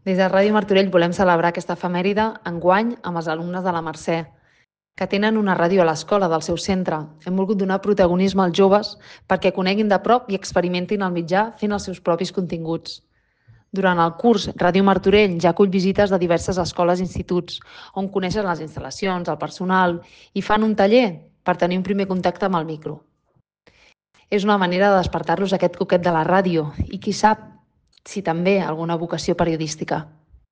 Des de Ràdio Martorell volem celebrar aquesta efemèride enguany amb els alumnes de la Mercè, que tenen una ràdio a l'escola del seu centre. Hem volgut donar protagonisme als joves perquè coneguin de prop i experimentin el mitjà fent els seus propis continguts. Durant el curs, Ràdio Martorell ja acull visites de diverses escoles i instituts, on coneixen les instal·lacions, el personal i fan un taller per tenir un primer contacte amb el micro. És una manera de despertar-los aquest coquet de la ràdio i qui sap si també alguna vocació periodística.